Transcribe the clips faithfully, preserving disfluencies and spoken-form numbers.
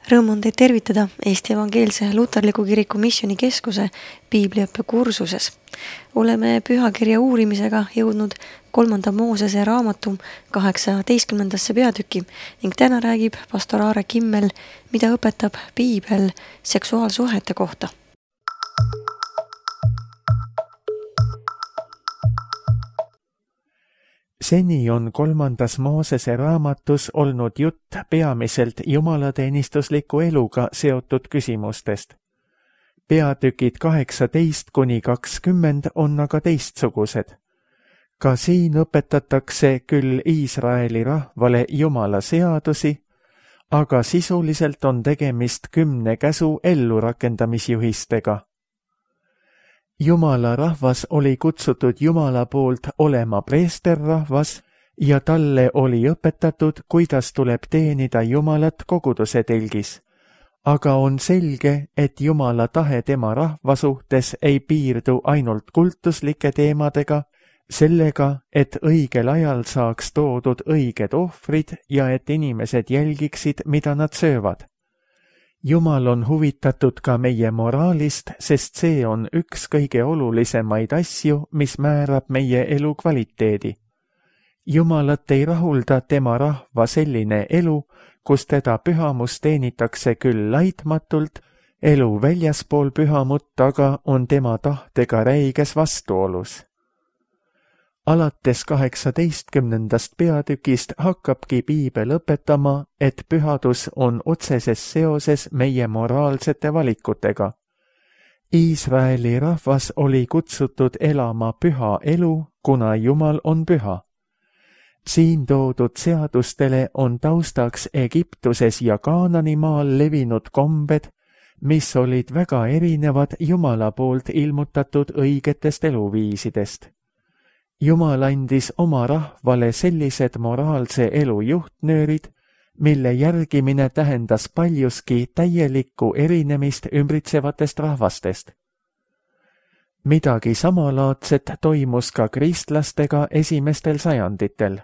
Rõõm on teid tervitada Eesti Evangeelse Luterliku Kiriku Missioonikeskuse piibliõppe kursuses. Oleme pühakirja uurimisega jõudnud kolmanda Moosese raamatu kaheksateistkümnendasse peatüki ning täna räägib pastor Aare Kimmel, mida õpetab piibel seksuaalsuhete kohta. Seni on kolmandas Moosese raamatus olnud jutt peamiselt jumalateenistusliku eluga seotud küsimustest. Peatükid kaheksateist kuni kakskümmend on aga teistsugused. Ka siin õpetatakse küll Iisraeli rahvale Jumala seadusi, aga sisuliselt on tegemist kümne käsu ellurakendamisjuhistega. Jumala rahvas oli kutsutud Jumala poolt olema preesterrahvas ja talle oli õpetatud, kuidas tuleb teenida Jumalat koguduse telgis. Aga on selge, et Jumala tahe tema rahva suhtes ei piirdu ainult kultuslike teemadega, sellega, et õigel ajal saaks toodud õiged ohvrid ja et inimesed jälgiksid, mida nad söövad. Jumal on huvitatud ka meie moraalist, sest see on üks kõige olulisemaid asju, mis määrab meie elu kvaliteedi. Jumalat ei rahulda tema rahva selline elu, kus teda pühamus teenitakse küll laitmatult, elu väljaspool pühamut aga on tema tahtega räiges vastuolus. Alates kaheksateistkümnendast peatükist hakkabki piibel õpetama, et pühadus on otseses seoses meie moraalsete valikutega. Iisraeli rahvas oli kutsutud elama püha elu, kuna Jumal on püha. Siin toodud seadustele on taustaks Egiptuses ja Kaananimaal levinud kombed, mis olid väga erinevad Jumala poolt ilmutatud õigetest eluviisidest. Jumal andis oma rahvale sellised moraalse elu juhtnöörid, mille järgimine tähendas paljuski täielikku erinemist ümbritsevatest rahvastest. Midagi samalaadset toimus ka kristlastega esimestel sajanditel.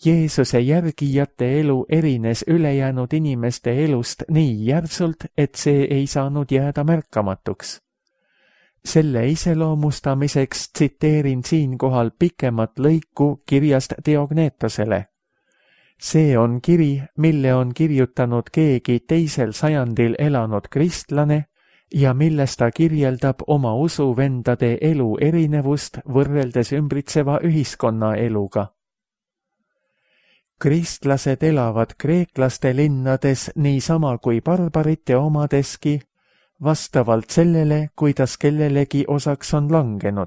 Jeesuse järgijate elu erines ülejäänud inimeste elust nii järsult, et see ei saanud jääda märkamatuks. Selle iseloomustamiseks tsiteerin siinkohal pikemat lõiku kirjast Theognetosele. See on kiri, mille on kirjutanud keegi teisel sajandil elanud kristlane ja milles ta kirjeldab oma usuvendade elu erinevust võrreldes ümbritseva ühiskonna eluga. Kristlased elavad kreeklaste linnades niisama kui barbarite omadeski, vastavalt sellele, kuidas kellelegi osaks on langenud.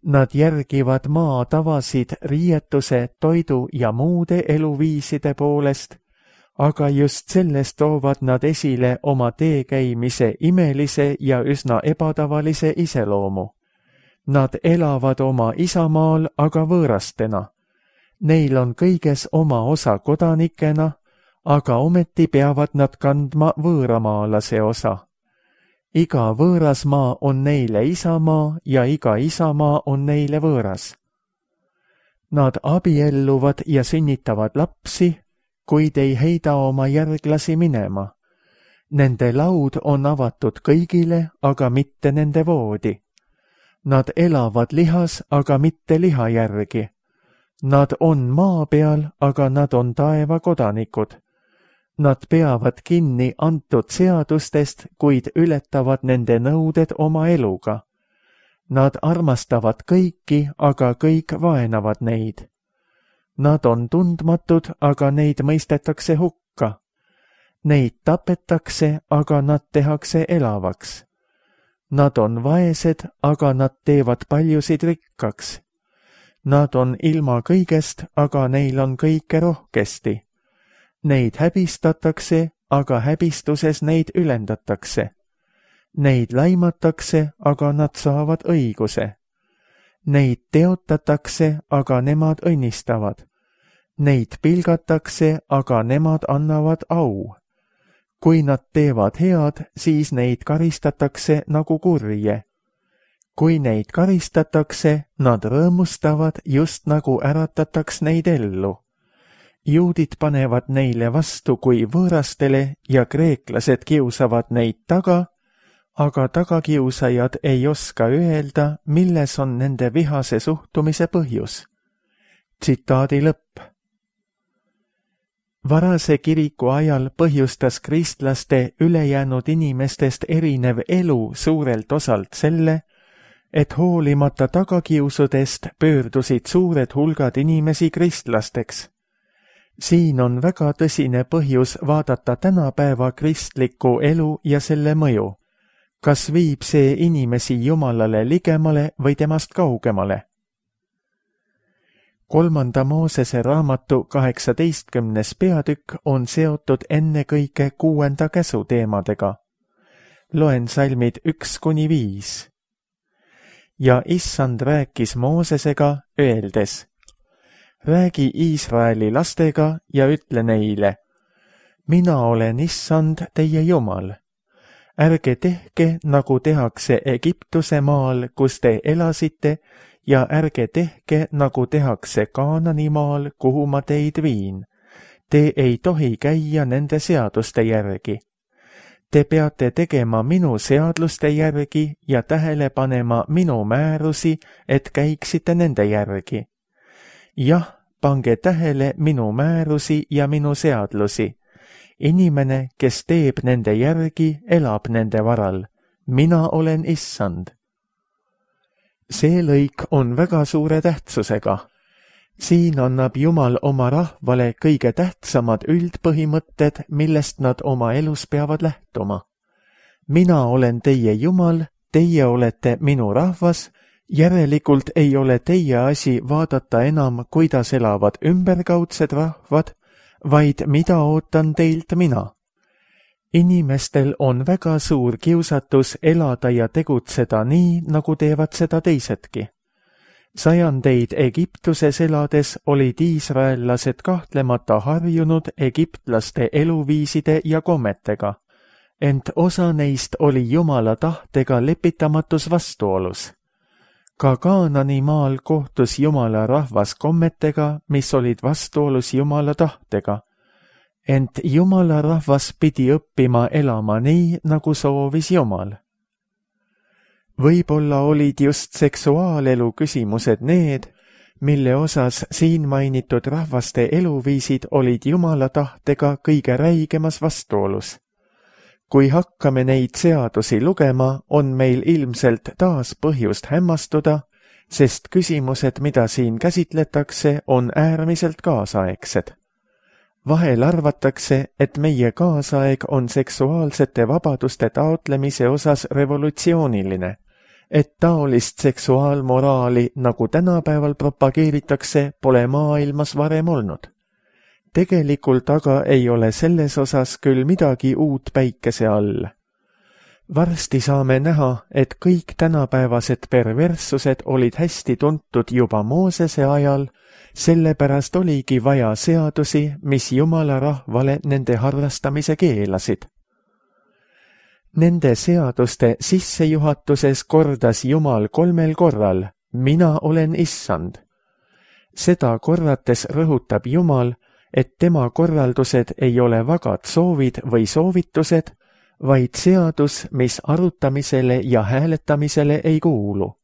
Nad järgivad maa tavasid riietuse, toidu ja muude eluviiside poolest, aga just sellest toovad nad esile oma teekäimise imelise ja üsna ebatavalise iseloomu. Nad elavad oma isamaal, aga võõrastena. Neil on kõiges oma osa kodanikena, aga ometi peavad nad kandma võõramaalase osa. Iga võõras maa on neile isamaa ja iga isamaa on neile võõras. Nad abielluvad ja sünnitavad lapsi, kuid ei heida oma järglasi minema. Nende laud on avatud kõigile, aga mitte nende voodi. Nad elavad lihas, aga mitte liha järgi. Nad on maa peal, aga nad on taeva kodanikud. Nad peavad kinni antud seadustest, kuid ületavad nende nõuded oma eluga. Nad armastavad kõiki, aga kõik vaenavad neid. Nad on tundmatud, aga neid mõistetakse hukka. Neid tapetakse, aga nad tehakse elavaks. Nad on vaesed, aga nad teevad paljusid rikkaks. Nad on ilma kõigest, aga neil on kõike rohkesti. Neid häbistatakse, aga häbistuses neid ülendatakse. Neid laimatakse, aga nad saavad õiguse. Neid teotatakse, aga nemad õnnistavad. Neid pilgatakse, aga nemad annavad au. Kui nad teevad head, siis neid karistatakse nagu kurje. Kui neid karistatakse, nad rõõmustavad, just nagu äratataks neid ellu. juudid panevad neile vastu kui võõrastele ja kreeklased kiusavad neid taga, aga tagakiusajad ei oska öelda, milles on nende vihase suhtumise põhjus. Tsitaadi lõpp. Varase kiriku ajal põhjustas kristlaste ülejäänud inimestest erinev elu suurelt osalt selle, et hoolimata tagakiusudest pöördusid suured hulgad inimesi kristlasteks. Siin on väga tõsine põhjus vaadata tänapäeva kristlikku elu ja selle mõju. Kas viib see inimesi Jumalale ligemale või temast kaugemale? Kolmanda Moosese raamatu kaheksateistkümnes peatükk on seotud ennekõike kuuenda käsu teemadega. Loen salmid üks kuni viis. Ja issand rääkis Moosesega, öeldes, räägi Iisraeli lastega ja ütle neile, mina olen issand teie Jumal. Ärge tehke, nagu tehakse Egiptuse maal, kus te elasite, ja ärge tehke, nagu tehakse Kaanani maal, kuhu ma teid viin. Te ei tohi käia nende seaduste järgi. Te peate tegema minu seadluste järgi ja tähele panema minu määrusi, et käiksite nende järgi. Jah, pange tähele minu määrusi ja minu seadlusi. Inimene, kes teeb nende järgi, elab nende varal. Mina olen issand. See lõik on väga suure tähtsusega. Siin annab Jumal oma rahvale kõige tähtsamad üldpõhimõtted, millest nad oma elus peavad lähtuma. Mina olen teie Jumal, teie olete minu rahvas, järelikult ei ole teie asi vaadata enam, kuidas elavad ümberkaudsed rahvad, vaid mida ootan teilt mina. Inimestel on väga suur kiusatus elada ja tegutseda nii, nagu teevad seda teisedki. Sajandeid Egiptuses elades olid iisraellased kahtlemata harjunud egiptlaste eluviiside ja kommetega, ent osa neist oli Jumala tahtega lepitamatus vastuolus. Ka Kaanani maal kohtus Jumala rahvas kommetega, mis olid vastuolus Jumala tahtega, ent Jumala rahvas pidi õppima elama nii, nagu soovis Jumal. Võib-olla olid just seksuaalelu küsimused need, mille osas siin mainitud rahvaste eluviisid olid Jumala tahtega kõige räigemas vastuolus. Kui hakkame neid seadusi lugema, on meil ilmselt taas põhjust hämmastuda, sest küsimused, mida siin käsitletakse, on äärmiselt kaasaegsed. Vahel arvatakse, et meie kaasaeg on seksuaalsete vabaduste taotlemise osas revolutsiooniline, et taolist seksuaalmoraali, nagu tänapäeval propageeritakse, pole maailmas varem olnud. Tegelikult aga ei ole selles osas küll midagi uut päikese all. Varsti saame näha, et kõik tänapäevased perverssused olid hästi tuntud juba Moosese ajal, sellepärast oligi vaja seadusi, mis Jumala rahvale nende harrastamise keelasid. Nende seaduste sissejuhatuses kordas Jumal kolmel korral, mina olen issand. Seda korrates rõhutab Jumal, et tema korraldused ei ole vagad soovid või soovitused, vaid seadus, mis arutamisele ja hääletamisele ei kuulu.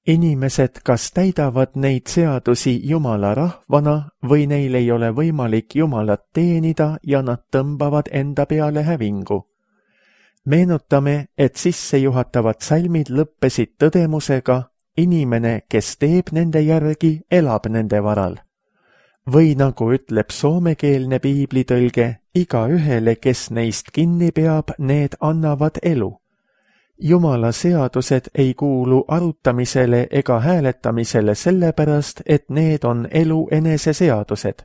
Inimesed kas täidavad neid seadusi Jumala rahvana või neil ei ole võimalik Jumalat teenida ja nad tõmbavad enda peale hävingu. Meenutame, et sissejuhatavad salmid lõppesid tõdemusega, inimene, kes teeb nende järgi, elab nende varal. Või nagu ütleb soomekeelne piiblitõlge, igaühele, kes neist kinni peab, need annavad elu. Jumala seadused ei kuulu arutamisele ega hääletamisele sellepärast, et need on elu enese seadused.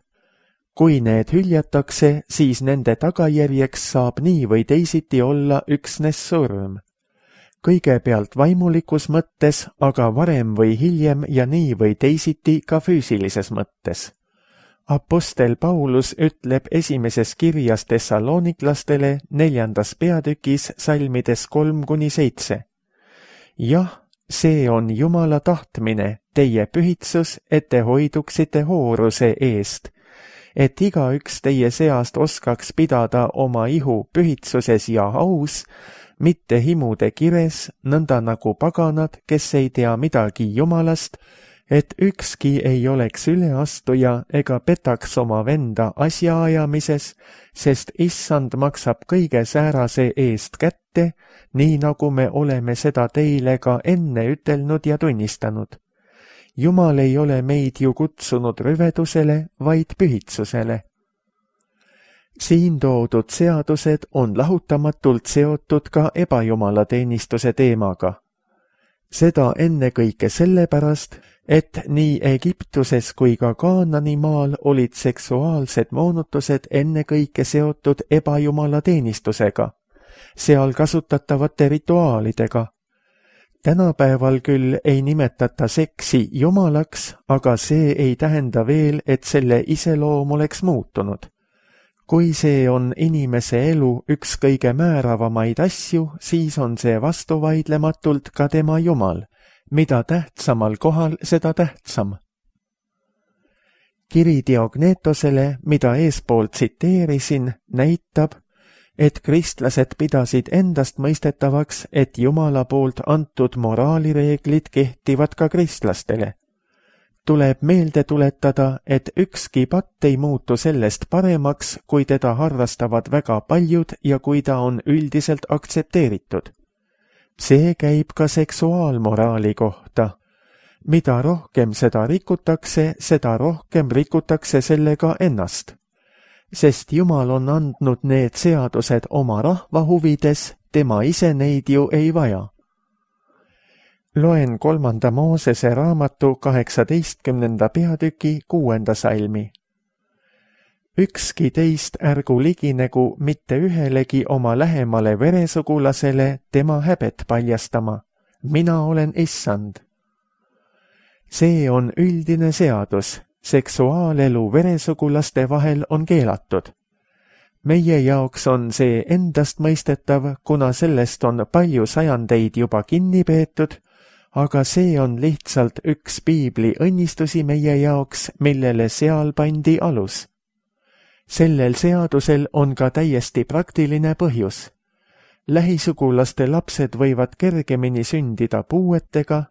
Kui need hüljatakse, siis nende tagajärjeks saab nii või teisiti olla üksnes surm. Kõigepealt vaimulikus mõttes, aga varem või hiljem ja nii või teisiti ka füüsilises mõttes. Apostel Paulus ütleb esimeses kirjas Thessaloniklastele neljandas peatükis salmides kolm kuni seitse. Jah, see on Jumala tahtmine, teie pühitsus, et te hoiduksite hooruse eest, et igaüks teie seast oskaks pidada oma ihu pühitsuses ja aus, mitte himude kires, nõnda nagu paganad, kes ei tea midagi Jumalast, et ükski ei oleks üleastuja ega petaks oma venda asjaajamises, sest issand maksab kõige säärase eest kätte, nii nagu me oleme seda teile ka enne ütelnud ja tunnistanud. Jumal ei ole meid ju kutsunud rüvedusele, vaid pühitsusele. Siin toodud seadused on lahutamatult seotud ka ebajumalateenistuse teemaga. Seda ennekõike sellepärast, et nii Egiptuses kui ka Kaanani maal olid seksuaalsed moonutused ennekõike seotud ebajumalateenistusega, seal kasutatavate rituaalidega. Tänapäeval küll ei nimetata seksi jumalaks, aga see ei tähenda veel, et selle iseloom oleks muutunud. Kui see on inimese elu üks kõige määravamaid asju, siis on see vastuvaidlematult ka tema Jumal. Mida tähtsamal kohal, seda tähtsam. Kiri Diognetosele, mida eespool tsiteerisin, näitab, et kristlased pidasid endast mõistetavaks, et Jumala poolt antud moraalireeglid kehtivad ka kristlastele. Tuleb meelde tuletada, et ükski patt ei muutu sellest paremaks, kui teda harrastavad väga paljud ja kui ta on üldiselt aktsepteeritud. See käib ka seksuaalmoraali kohta. Mida rohkem seda rikutakse, seda rohkem rikutakse sellega ennast. Sest Jumal on andnud need seadused oma rahva huvides, tema ise neid ju ei vaja. Loen kolmanda Moosese raamatu kaheksateistkümnenda peatüki kuuenda salmi. Ükski teist ärgu liginegu mitte ühelegi oma lähemale veresugulasele tema häbet paljastama. Mina olen issand. See on üldine seadus. Seksuaalelu veresugulaste vahel on keelatud. Meie jaoks on see endast mõistetav, kuna sellest on palju sajandeid juba kinni peetud, aga see on lihtsalt üks piibli õnnistusi meie jaoks, millele seal pandi alus. Sellel seadusel on ka täiesti praktiline põhjus. Lähisugulaste lapsed võivad kergemini sündida puuetega,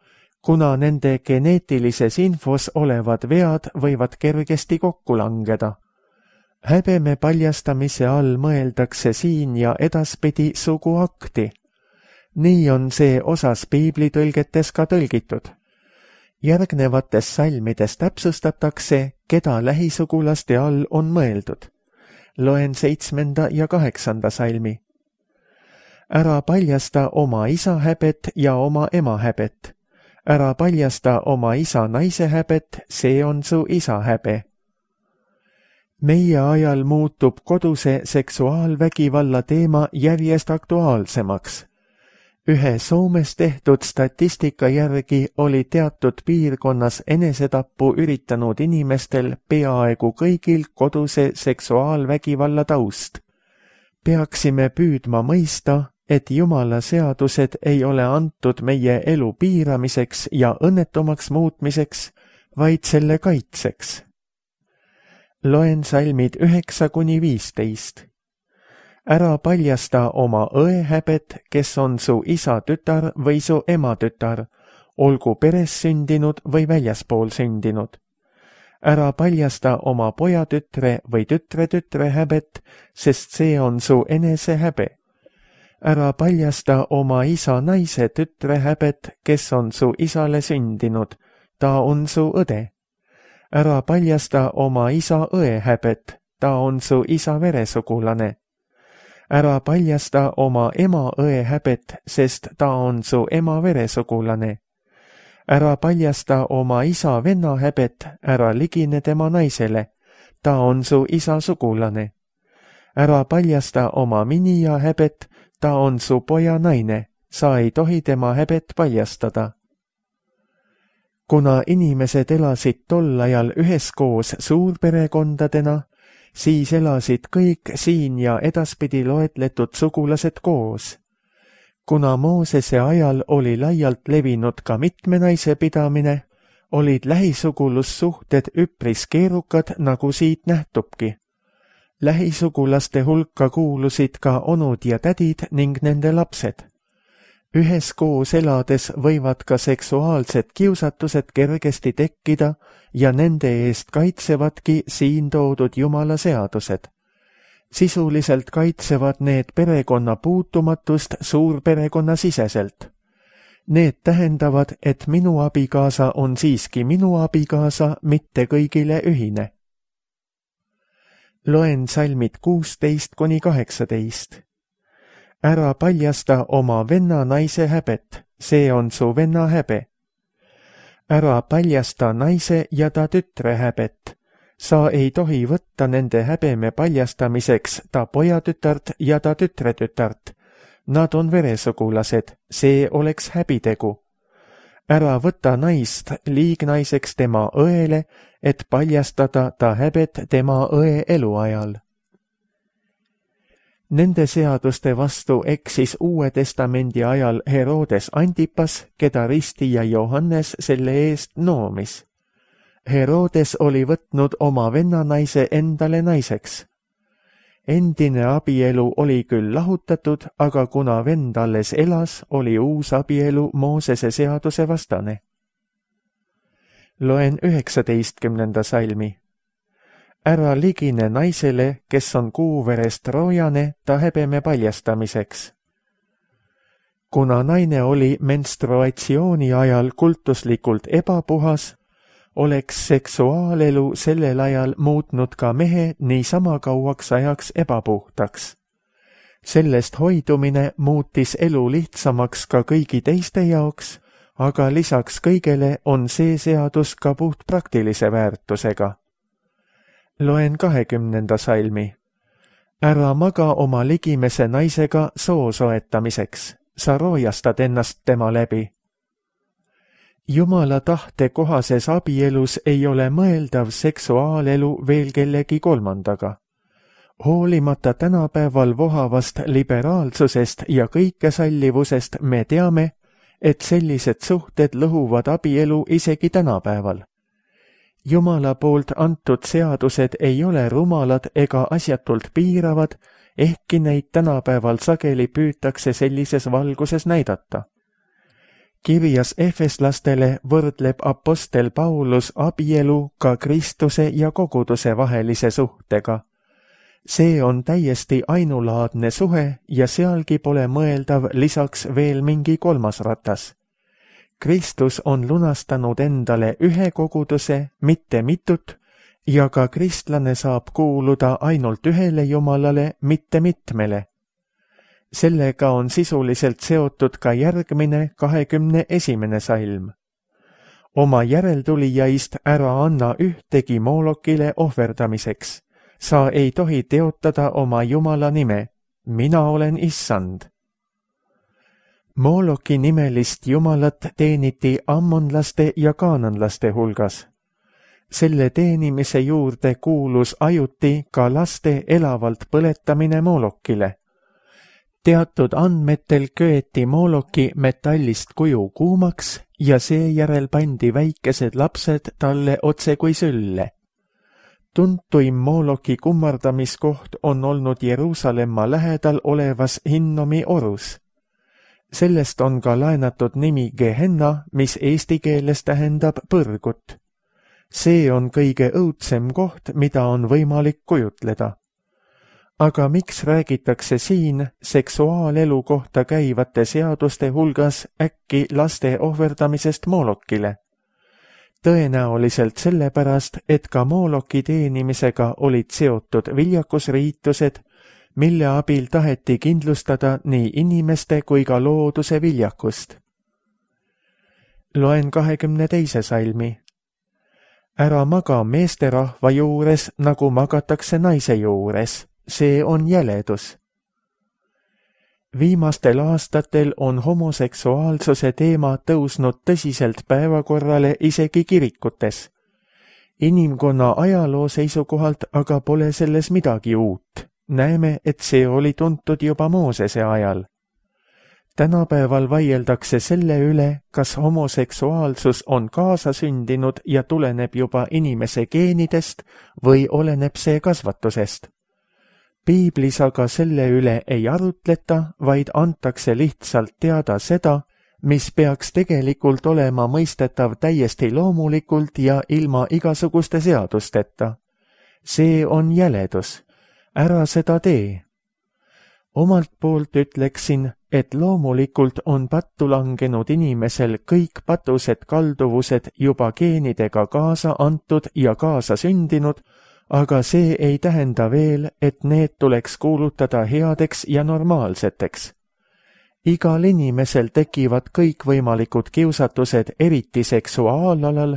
kuna nende geneetilises infos olevad vead võivad kergesti kokku langeda. Häbeme paljastamise all mõeldakse siin ja edaspidi suguakti. Nii on see osas piiblitõlgetes ka tõlgitud. Järgnevates salmides täpsustatakse, keda lähisugulaste all on mõeldud. Loen seitsmenda ja kaheksanda salmi. Ära paljasta oma isa häbet ja oma ema häbet. Ära paljasta oma isa naise häbet, see on su isa häbe. Meie ajal muutub koduse seksuaalvägivalla teema järjest aktuaalsemaks. Ühe Soomes tehtud statistika järgi oli teatud piirkonnas enesetappu üritanud inimestel peaaegu kõigil koduse seksuaalvägivalla taust. Peaksime püüdma mõista, et Jumala seadused ei ole antud meie elu piiramiseks ja õnnetumaks muutmiseks, vaid selle kaitseks. Loen salmid üheksa kuni viisteist. Ära paljasta oma õe häbet, kes on su isa tütar või su ema tütar, olgu peres sündinud või väljaspool sündinud. Ära paljasta oma pojatütre või tütre-tütre häbet, sest see on su enese häbe. Ära paljasta oma isa naise tütre häbet, kes on su isale sündinud, ta on su õde. Ära paljasta oma isa õe häbet, ta on su isa veresugulane. Ära paljasta oma ema õe häbet, sest ta on su ema veresugulane. Ära paljasta oma isa venna häbet, ära ligine tema naisele, ta on su isa sugulane. Ära paljasta oma minija häbet, ta on su poja naine, sa ei tohi tema häbet paljastada. Kuna inimesed elasid tol ajal üheskoos suurperekondadena, siis elasid kõik siin ja edaspidi loetletud sugulased koos. Kuna Moosese ajal oli laialt levinud ka mitme naise pidamine, olid lähisugulussuhted üpris keerukad, nagu siit nähtubki. Lähisugulaste hulka kuulusid ka onud ja tädid ning nende lapsed. Üheskoos elades võivad ka seksuaalsed kiusatused kergesti tekkida ja nende eest kaitsevadki siin toodud Jumala seadused. Sisuliselt kaitsevad need perekonna puutumatust suurperekonna siseselt. Need tähendavad, et minu abikaasa on siiski minu abikaasa, mitte kõigile ühine. Loen salmid kuusteist kuni kaheksateist. Ära paljasta oma venna naise häbet, see on su venna häbe. Ära paljasta naise ja ta tütre häbet. Sa ei tohi võtta nende häbeme paljastamiseks ta pojatütart ja ta tütretütart. Nad on veresugulased, see oleks häbitegu. Ära võta naist liignaiseks tema õele, et paljastada ta häbet tema õe eluajal. Nende seaduste vastu eksis Uue Testamendi ajal Herodes Antipas, keda Risti ja Johannes selle eest noomis. Herodes oli võtnud oma vennanaise endale naiseks. Endine abielu oli küll lahutatud, aga kuna vend alles elas, oli uus abielu Moosese seaduse vastane. Loen üheksateistkümnenda salmi. Ära ligine naisele, kes on kuuverest roojane, ta häbeme paljastamiseks. Kuna naine oli menstruatsiooni ajal kultuslikult ebapuhas, oleks seksuaalelu sellel ajal muutnud ka mehe niisama kauaks ajaks ebapuhtaks. Sellest hoidumine muutis elu lihtsamaks ka kõigi teiste jaoks, aga lisaks kõigele on see seadus ka puht praktilise väärtusega. Loen kahekümnenda salmi. Ära maga oma ligimese naisega soo soetamiseks, sa roojastad ennast tema läbi. Jumala tahte kohases abielus ei ole mõeldav seksuaalelu veel kellegi kolmandaga. Hoolimata tänapäeval vohavast liberaalsusest ja kõikesallivusest me teame, et sellised suhted lõhuvad abielu isegi tänapäeval. Jumala poolt antud seadused ei ole rumalad ega asjatult piiravad, ehkki neid tänapäeval sageli püütakse sellises valguses näidata. Kirjas efeslastele võrdleb apostel Paulus abielu ka Kristuse ja koguduse vahelise suhtega. See on täiesti ainulaadne suhe ja sealgi pole mõeldav lisaks veel mingi kolmas ratas. Kristus on lunastanud endale ühe koguduse, mitte mitut, ja ka kristlane saab kuuluda ainult ühele Jumalale, mitte mitmele. Sellega on sisuliselt seotud ka järgmine kahekümne esimene salm. Oma järeltulijaist ära anna ühtegi Moolokile ohverdamiseks. Sa ei tohi teotada oma Jumala nime. Mina olen issand. Mooloki nimelist jumalat teeniti ammonlaste ja kaananlaste hulgas. Selle teenimise juurde kuulus ajuti ka laste elavalt põletamine Moolokile. Teatud andmetel köeti Mooloki metallist kuju kuumaks ja seejärel pandi väikesed lapsed talle otse kui sülle. Tuntuim Mooloki kummardamiskoht on olnud Jeruusalemma lähedal olevas Hinnomi orus. Sellest on ka laenatud nimi Gehenna, mis eesti keeles tähendab põrgut. See on kõige õudsem koht, mida on võimalik kujutleda. Aga miks räägitakse siin seksuaalelu kohta käivate seaduste hulgas äkki laste ohverdamisest Moolokile? Tõenäoliselt sellepärast, et ka Mooloki teenimisega olid seotud viljakusriitused, mille abil taheti kindlustada nii inimeste kui ka looduse viljakust. Loen kahekümne teise salmi. Ära maga meesterahva juures, nagu magatakse naise juures. See on jäledus. Viimastel aastatel on homoseksuaalsuse teema tõusnud tõsiselt päevakorrale isegi kirikutes. Inimkonna ajaloo seisukohalt aga pole selles midagi uut. Näeme, et see oli tuntud juba Moosese ajal. Tänapäeval vaieldakse selle üle, kas homoseksuaalsus on kaasasündinud ja tuleneb juba inimese geenidest või oleneb see kasvatusest. Piiblis aga selle üle ei arutleta, vaid antakse lihtsalt teada seda, mis peaks tegelikult olema mõistetav täiesti loomulikult ja ilma igasuguste seadusteta. See on jäledus. Ära seda tee. Omalt poolt ütleksin, et loomulikult on pattu langenud inimesel kõik patused kalduvused juba geenidega kaasa antud ja kaasa sündinud, aga see ei tähenda veel, et need tuleks kuulutada headeks ja normaalseteks. Igal inimesel tekivad kõikvõimalikud kiusatused eriti seksuaalalal,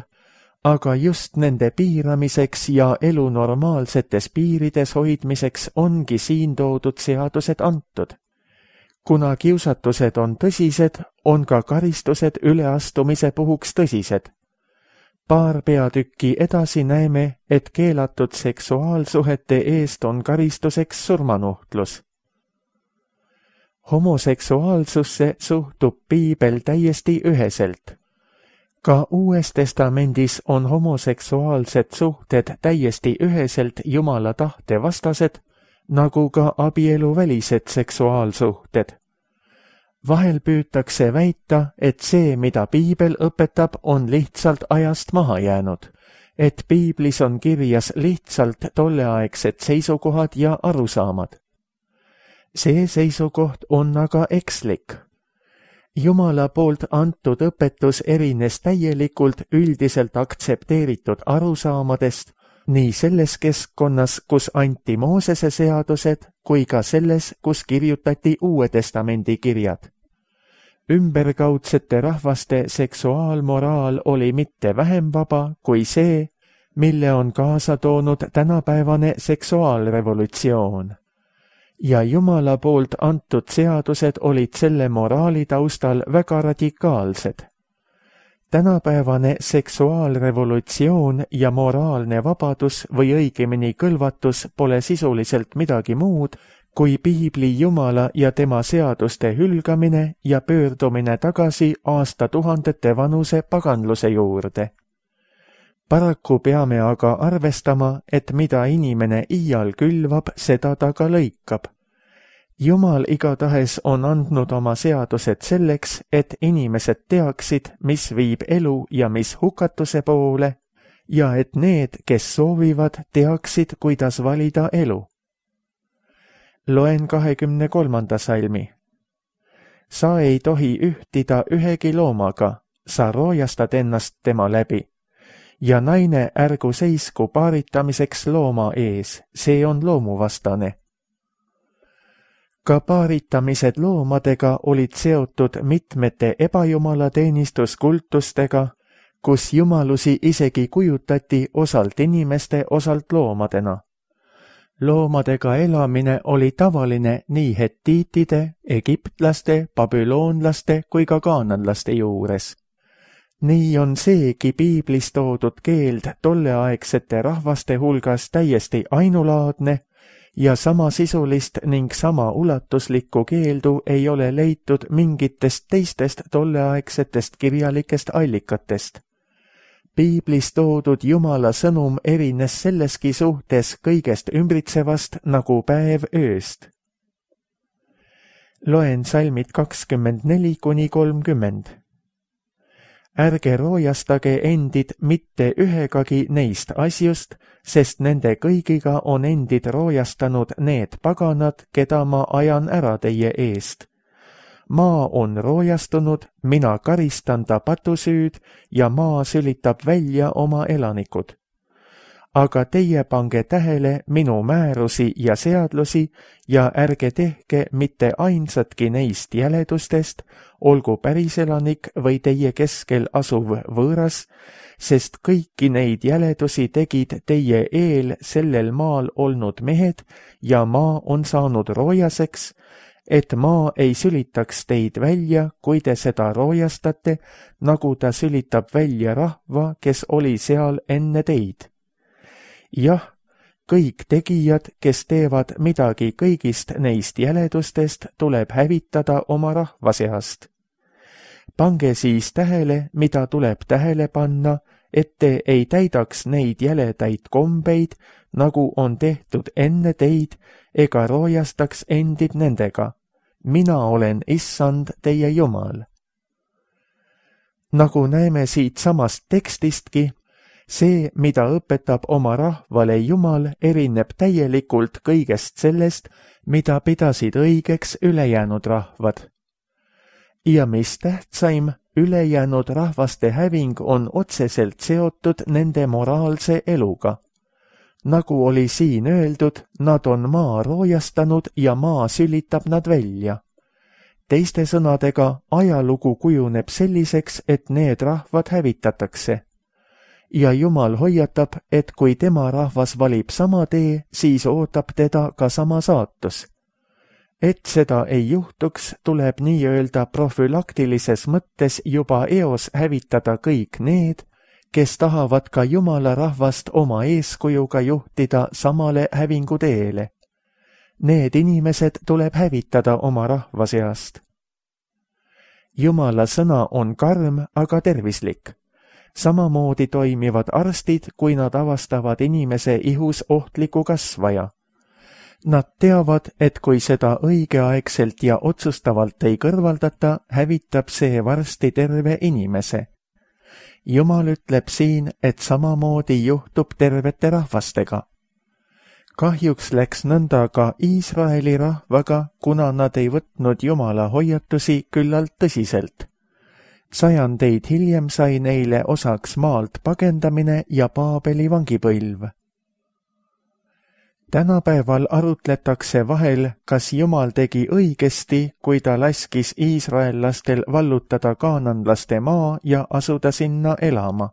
aga just nende piiramiseks ja elu normaalsetes piirides hoidmiseks ongi siin toodud seadused antud. Kuna kiusatused on tõsised, on ka karistused üleastumise puhuks tõsised. Paar peatükki edasi näeme, et keelatud seksuaalsuhete eest on karistuseks surmanuhtlus. Homoseksuaalsusse suhtub Piibel täiesti üheselt. Ka Uues Testamendis on homoseksuaalsed suhted täiesti üheselt Jumala tahte vastased, nagu ka abieluvälised seksuaalsuhted. Vahel püütakse väita, et see, mida Piibel õpetab, on lihtsalt ajast maha jäänud, et Piiblis on kirjas lihtsalt tolleaegsed seisukohad ja arusaamad. See seisukoht on aga ekslik. Jumala poolt antud õpetus erines täielikult üldiselt aktsepteeritud arusaamadest, nii selles keskkonnas, kus anti Moosese seadused, kui ka selles, kus kirjutati Uue Testamendi kirjad. Ümberkaudsete rahvaste seksuaalmoraal oli mitte vähem vaba kui see, mille on kaasa toonud tänapäevane seksuaalrevolutsioon. Ja Jumala poolt antud seadused olid selle moraali taustal väga radikaalsed. Tänapäevane seksuaalrevolutsioon ja moraalne vabadus või õigemini kõlvatus pole sisuliselt midagi muud, kui Piibli Jumala ja tema seaduste hülgamine ja pöördumine tagasi aastatuhandete vanuse paganluse juurde. Paraku peame aga arvestama, et mida inimene iial külvab, seda ta ka lõikab. Jumal igatahes on andnud oma seadused selleks, et inimesed teaksid, mis viib elu ja mis hukatuse poole, ja et need, kes soovivad, teaksid, kuidas valida elu. Loen kahekümne kolmanda salmi. Sa ei tohi ühtida ühegi loomaga, sa roojastad ennast tema läbi. Ja naine ärgu seisku paaritamiseks looma ees, see on loomuvastane. Ka paaritamised loomadega olid seotud mitmete ebajumala teenistuskultustega, kus jumalusi isegi kujutati osalt inimeste, osalt loomadena. Loomadega elamine oli tavaline nii hettiitide, egiptlaste, babüloonlaste kui ka kaananlaste juures. Nii on seegi Piiblis toodud keeld tolleaegsete rahvaste hulgas täiesti ainulaadne ja samasisulist ning sama ulatuslikku keeldu ei ole leitud mingitest teistest tolleaegsetest kirjalikest allikatest. Piiblis toodud Jumala sõnum erines selleski suhtes kõigest ümbritsevast nagu päev ööst. Loen salmid kakskümmend neli kuni kolmkümmend. Ärge roojastage endid mitte ühegagi neist asjust, sest nende kõigiga on endid roojastanud need paganad, keda ma ajan ära teie eest. Maa on roojastunud, mina karistan ta patusüüd ja maa sülitab välja oma elanikud. Aga teie pange tähele minu määrusi ja seadlusi ja ärge tehke mitte ainsatki neist jäledustest, olgu päriselanik või teie keskel asuv võõras, sest kõiki neid jäledusi tegid teie eel sellel maal olnud mehed ja maa on saanud roojaseks, et maa ei sülitaks teid välja, kui te seda roojastate, nagu ta sülitab välja rahva, kes oli seal enne teid. Jah, kõik tegijad, kes teevad midagi kõigist neist jäledustest, tuleb hävitada oma rahva seast. Pange siis tähele, mida tuleb tähele panna, et te ei täidaks neid jäledaid kombeid, nagu on tehtud enne teid, ega roojastaks endid nendega. Mina olen issand teie Jumal. Nagu näeme siit samast tekstistki, see, mida õpetab oma rahvale Jumal, erineb täielikult kõigest sellest, mida pidasid õigeks ülejäänud rahvad. Ja mis tähtsaim, ülejäänud rahvaste häving on otseselt seotud nende moraalse eluga. Nagu oli siin öeldud, nad on maa roojastanud ja maa sülitab nad välja. Teiste sõnadega, ajalugu kujuneb selliseks, et need rahvad hävitatakse. Ja Jumal hoiatab, et kui tema rahvas valib sama tee, siis ootab teda ka sama saatus. Et seda ei juhtuks, tuleb nii-öelda profülaktilises mõttes juba eos hävitada kõik need, kes tahavad ka Jumala rahvast oma eeskujuga juhtida samale hävinguteele. Need inimesed tuleb hävitada oma rahva seast. Jumala sõna on karm, aga tervislik. Samamoodi toimivad arstid, kui nad avastavad inimese ihus ohtliku kasvaja. Nad teavad, et kui seda õigeaegselt ja otsustavalt ei kõrvaldata, hävitab see varsti terve inimese. Jumal ütleb siin, et samamoodi juhtub tervete rahvastega. Kahjuks läks nõnda ka Iisraeli rahvaga, kuna nad ei võtnud Jumala hoiatusi küllalt tõsiselt. Sajandeid hiljem sai neile osaks maalt pagendamine ja Paabeli vangipõlv. Tänapäeval arutletakse vahel, kas Jumal tegi õigesti, kui ta laskis iisraellastel vallutada kaananlaste maa ja asuda sinna elama.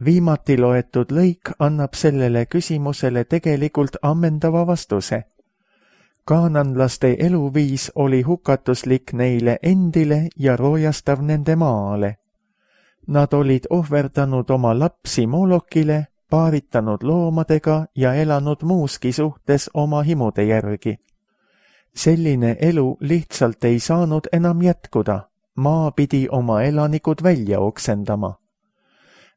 Viimati loetud lõik annab sellele küsimusele tegelikult ammendava vastuse. Kaananlaste eluviis oli hukatuslik neile endile ja roojastav nende maale. Nad olid ohverdanud oma lapsi Molokile, paaritanud loomadega ja elanud muuski suhtes oma himude järgi. Selline elu lihtsalt ei saanud enam jätkuda, maa pidi oma elanikud välja oksendama.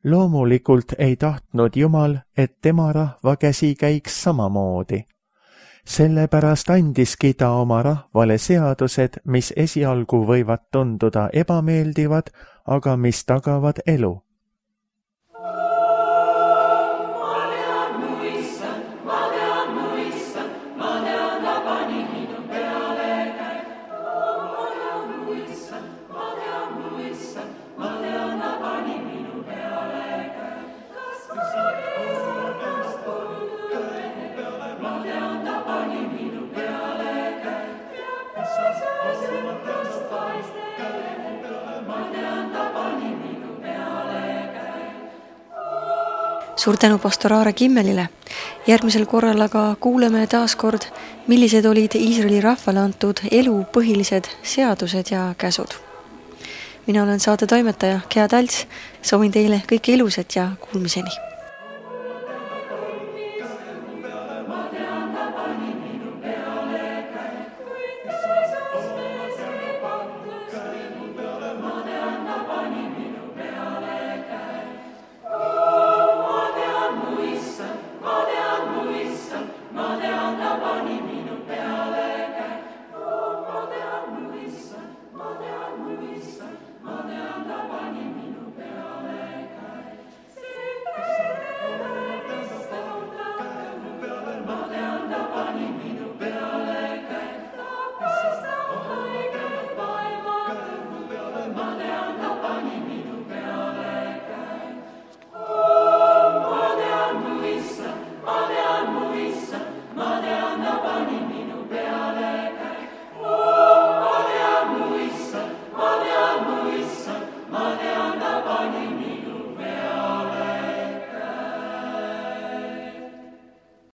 Loomulikult ei tahtnud Jumal, et tema rahva käsi käiks samamoodi. Sellepärast andiski ta oma rahvale seadused, mis esialgu võivad tunduda ebameeldivad, aga mis tagavad elu. Suur tänu pastor Aare Kimmelile. Järgmisel korral aga kuuleme taas kord, millised olid Iisraeli rahvale antud elu põhilised seadused ja käsud. Mina olen saate toimetaja Gea Talts, soovin teile kõike ilusat ja kuulmiseni.